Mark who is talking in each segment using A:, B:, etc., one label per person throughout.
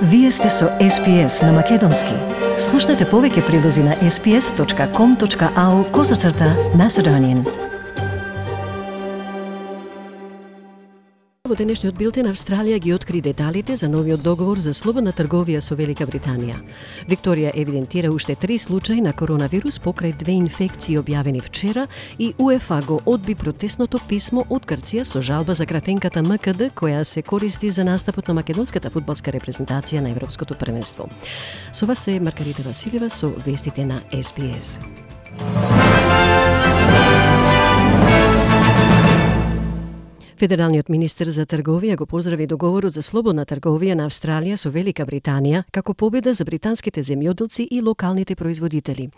A: Вие сте со SPS на Македонски. Слушнете повеќе прилози на sps.com.au/Macedonian. Во денешниот билтен Австралија ги откри деталите за новиот договор за слободна трговија со Велика Британија. Викторија евидентира уште 3 случаи на коронавирус покрај 2 инфекции објавени вчера и УЕФА го одби протестното писмо од Грција со жалба за кратенката МКД која се користи за настапот на македонската фудбалска репрезентација на Европското првенство. Со вас е Маргарита Василева со вестите на SPS. Федералниот министер за трговија го поздрави договорот за слободна трговија на Австралија со Велика Британија како победа за британските земјоделци и локалните производители.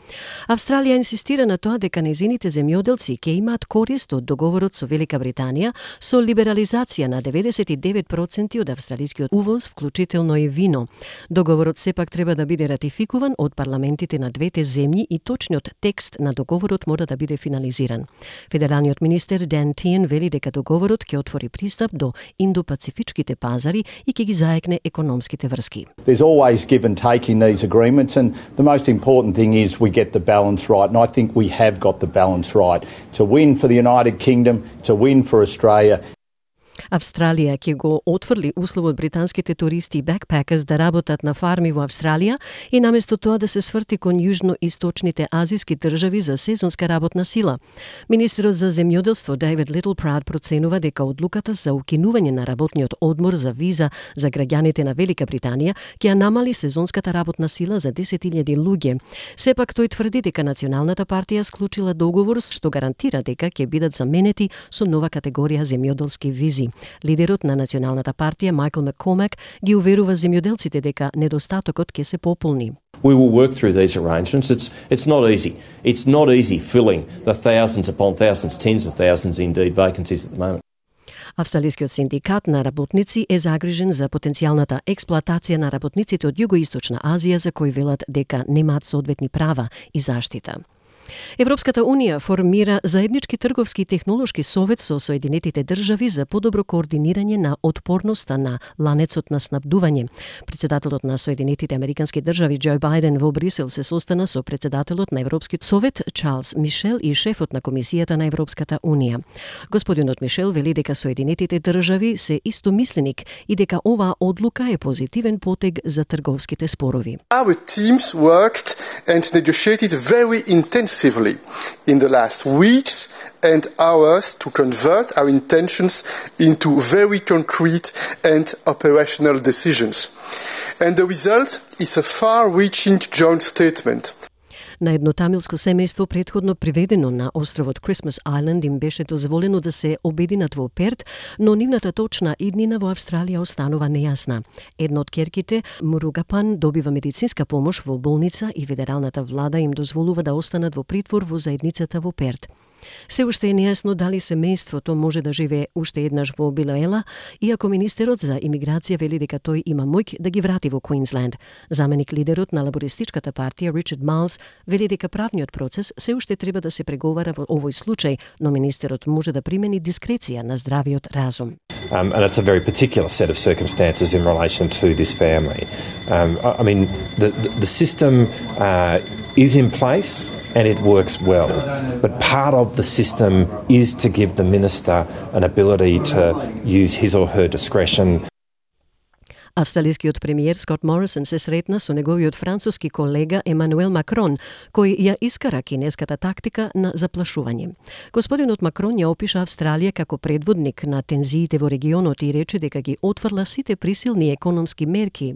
A: Австралија инсистира на тоа дека нејзините земјоделци ќе имаат корист од договорот со Велика Британија со либерализација на 99% од австралискиот увоз, вклучително и вино. Договорот сепак треба да биде ратификуван од парламентите на двете земји и точниот текст на договорот мора да биде финализиран. Федералниот министер Dan Tehan вели дека договорот ќе отвори пристап до индо-пацифичките пазари и ќе ги заекне економските врски.
B: There's always give and take in these agreements, and the most important thing is we get the balance right, and I think we have got the balance right. It's a win for the United Kingdom, it's a win for Australia.
A: Австралија ќе го отфрли условот британските туристи и бекпекерс да работат на фарми во Австралија и наместо тоа да се сврти кон јужно-источните азиски држави за сезонска работна сила. Министерот за земјоделство Дейвид Литлпрауд проценува дека одлуката за укинување на работниот одмор за виза за граѓаните на Велика Британија ќе намали сезонската работна сила за 10.000 луѓе. Сепак тој тврди дека Националната партија склучила договор што гарантира дека ќе бидат заменети со нова категорија земјоделски визи. Лидерот на Националната партија Майкл Маккормак ги уверува земјоделците дека недостатокот ќе се пополни.
C: We will work through these arrangements. It's not easy. It's not easy filling the thousands upon thousands, tens of thousands indeed vacancies at the moment.
A: Австралискиот синдикат на работници е загрижен за потенцијалната експлоатација на работниците од Југоисточна Азија за кои велат дека немаат соодветни права и заштита. Европската Унија формира заеднички трговски и технолошки совет со Соединетите држави за подобро координирање на отпорноста на ланецот на снабдување. Председателот на Соединетите Американски држави Џо Бајден во Брисел се состана со председателот на Европскиот совет Чарлс Мишел и шефот на Комисијата на Европската Унија. Господинот Мишел вели дека Соединетите држави се истомисленик и дека оваа одлука е позитивен потег за трговските спорови.
D: Our teams worked and negotiated very intensively in the last weeks and hours to convert our intentions into very concrete and operational decisions. And the result is a far-reaching joint statement.
A: На едно тамилско семејство претходно приведено на островот Christmas Island им беше дозволено да се обединат во Перт, но нивната точна иднина во Австралија останува нејасна. Едно од ќерките, Муругапан, добива медицинска помош во болница и федералната влада им дозволува да останат во притвор во заедницата во Перт. Се уште е нејасно дали семејството може да живее уште еднаш во Билоела, иако министерот за имиграција вели дека тој има моќ да ги врати во Квинсленд. Заменик лидерот на лабористичката партија Ричард Майлс вели дека правниот процес се уште треба да се преговара во овој случај, но министерот може да примени дискреција на здравиот разум.
C: And it's a very particular set of circumstances in relation to this family. I mean, the system is in place and it works well. But part of the system is to give the minister an ability to use his or her discretion.
A: Австралискиот премиер Скот Морисон се сретна со неговиот француски колега Емануел Макрон, кој ја искара кинеската тактика на заплашување. Господинот Макрон ја опиша Австралија како предводник на тензиите во регионот и рече дека ги отфрла сите присилни економски мерки.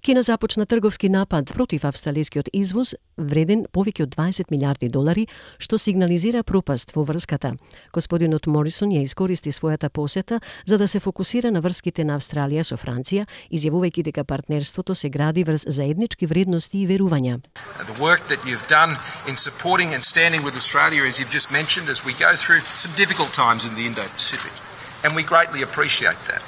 A: Кина започна трговски напад против австралискиот извоз вреден повеќе од 20 милиарди долари, што сигнализира пропаст во врската. Господинот Морисон ја искористи својата посета за да се фокусира на врските на Австралија со Франција, изјавувајќи дека партнерството се гради врз заеднички вредности и верувања.
E: The work that you've done in supporting and standing with Australia, as you've just mentioned, as we go through some difficult times in the Indo-Pacific, and we greatly appreciate that.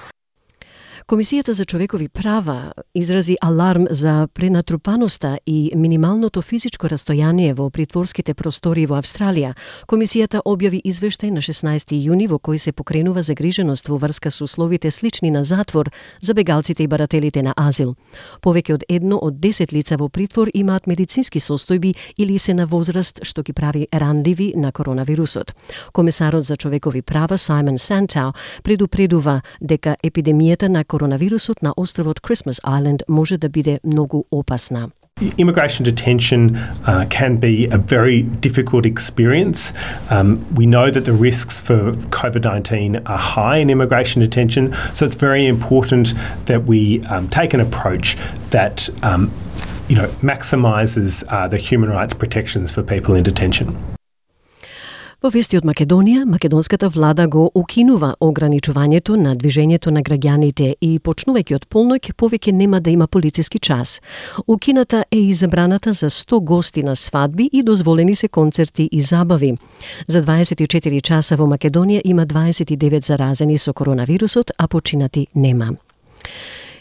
A: Комисијата за човекови права изрази аларм за пренатрупаноста и минималното физичко растојание во притворските простори во Австралија. Комисијата објави извештај на 16 јуни во кој се покренува загриженост во врска со условите слични на затвор за бегалците и барателите на азил. Повеќе од 1 од 10 лица во притвор имаат медицински состојби или се на возраст што ги прави ранливи на коронавирусот. Комесарот за човекови права Саймон Сантау предупредува дека епидемијата на коронавирусот на островот Christmas Island може да биде многу опасна.
F: Immigration detention can be a very difficult experience. We know that the risks for COVID-19 are high in immigration detention, so it's very important that we take an approach that maximises the human rights protections for people in detention.
A: Во вести од Македонија, македонската влада го укинува ограничувањето на движењето на граѓаните и почнувајќи од полноќ повеќе нема да има полициски час. Укината е и забраната за 100 гости на свадби и дозволени се концерти и забави. За 24 часа во Македонија има 29 заразени со коронавирусот, а починати нема.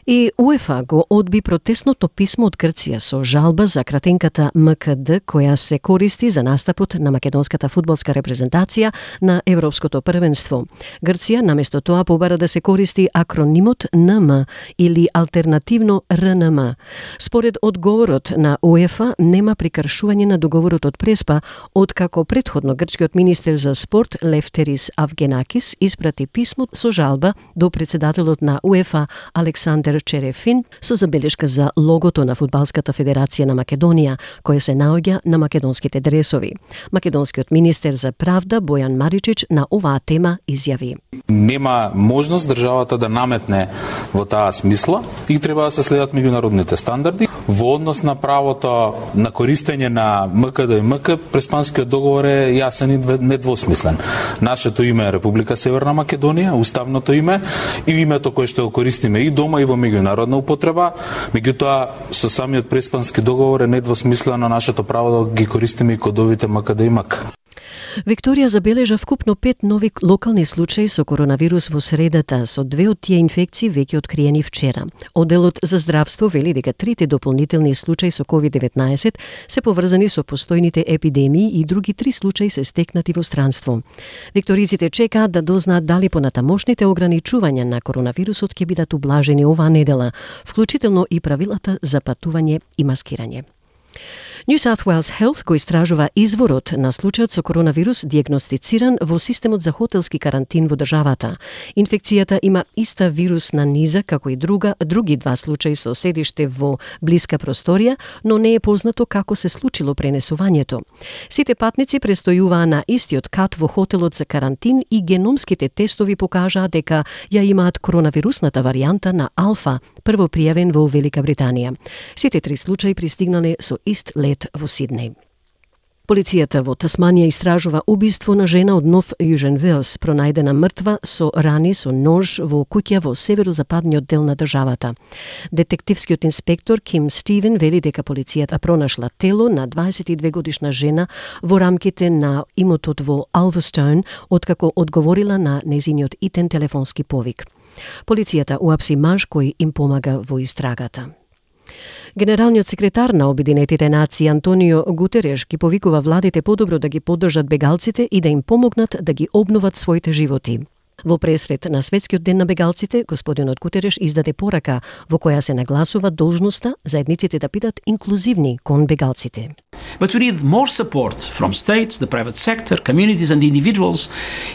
A: И УЕФА го одби протестното писмо од Грција со жалба за кратенката МКД која се користи за настапот на македонската фудбалска репрезентација на Европското првенство. Грција наместо тоа побара да се користи акронимот НМ или алтернативно РНМ. Според одговорот на УЕФА нема прекршување на договорот од Преспа, откако претходно грчкиот министер за спорт Лефтерис Авгенакис испрати писмо со жалба до председателот на УЕФА Александер Черефин со забелешка за логото на Фудбалската федерација на Македонија, која се наоѓа на македонските дресови. Македонскиот министер за правда Бојан Маричич на оваа тема изјави:
G: Нема можност државата да наметне во таа смисла и треба да се следат меѓународните стандарди. Во однос на правото на користење на МКД и МК, Преспанскиот договор е јасен и недвосмислен. Нашето име е Република Северна Македонија, уставното име и името кое што го користиме и дома и во меѓународна употреба, меѓутоа со самиот Преспански договор е недвосмислено нашето право да ги користиме и кодовите МКД и МК.
A: Викторија забележа вкупно 5 нови локални случаи со коронавирус во средата, со 2 од тие инфекции веќе откриени вчера. Одделот за здравство вели дека 3 дополнителни случаи со COVID-19 се поврзани со постојните епидемии и други 3 случаи се стекнати во странство. Викториците чекаат да дознаат дали понатамошните ограничувања на коронавирусот ќе бидат ублажени оваа недела, вклучително и правилата за патување и маскирање. New South Wales Health го истражува изворот на случајот со коронавирус диагностициран во системот за хотелски карантин во државата. Инфекцијата има иста вирусна низа како и други 2 случаи со седиште во блиска просторија, но не е познато како се случило пренесувањето. Сите патници престојуваа на истиот кат во хотелот за карантин и геномските тестови покажаа дека ја имаат коронавирусната варијанта на алфа, прво пријавен во Велика Британија. Сите 3 случаи пристигнале со ист лет во Сиднеј. Полицијата во Тасманија истражува убиство на жена од Нов Јужен Велс, пронајдена мртва со рани со нож во куќа во северозападниот дел на државата. Детективскиот инспектор Ким Стивен вели дека полицијата пронашла тело на 22 годишна жена во рамките на имотот во Алвастоун, откако одговорила на незиниот итен телефонски повик. Полицијата уапси маж кој им помага во истрагата. Генералниот секретар на Обединетите нации Антонио Гутереш ги повикува владите подобро да ги поддржат бегалците и да им помогнат да ги обноват своите животи. Во пресред на Светскиот ден на бегалците, господинот Гутереш издаде порака во која се нагласува должноста заедниците да бидат инклузивни кон бегалците.
H: But we need more support from states, the private sector, communities and individuals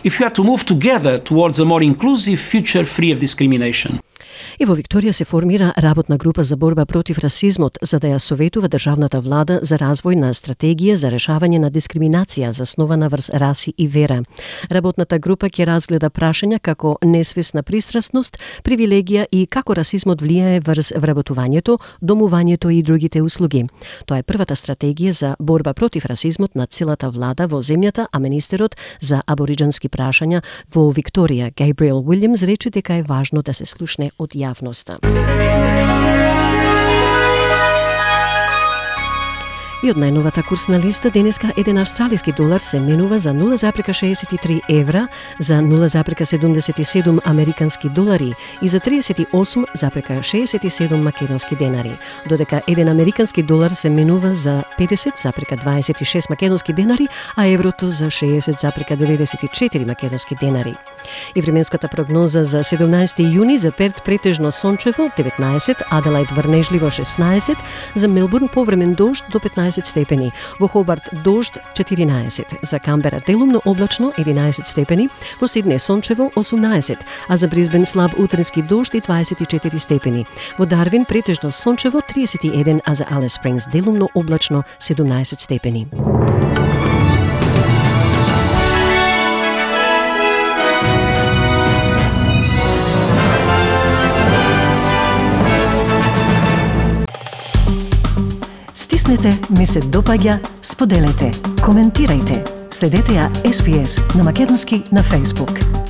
H: if we are to move together towards a more inclusive future free of discrimination.
A: И во Викторија се формира работна група за борба против расизмот за да ја советува државната влада за развој на стратегија за решавање на дискриминација заснована врз раси и вера. Работната група ќе разгледа прашања како несвесна пристрасност, привилегија и како расизмот влијае врз вработувањето, домувањето и другите услуги. Тоа е првата стратегија за борба против расизмот на целата влада во земјата, а министерот за абориџански прашања во Викторија, Гейбриел Уилјамс, рече дека е важно да се слушне од јавноста. И од најновата курсна листа денеска еден австралиски долар се менува за 0,63 евра, за 0,77 американски долари и за 38,67 македонски денари, додека еден американски долар се менува за 50,26 македонски денари, а еврото за 60,94 македонски денари. И временската прогноза за 17 јуни за Перт претежно сончево 19, Аделаид врнежливо 16, за Мелбурн повремен дожд до 15 степени, во Хобарт дожд 14, за Камбера делумно облачно 11 степени, во Сиднеј сончево 18, а за Брисбен слаб утренски дожд и 24 степени, во Дарвин претежно сончево 31, а за Алис Спрингс делумно облачно 17 степени. Стиснете, ми се допаѓа, споделете, коментирајте. Следете ја SPS на македонски на Facebook.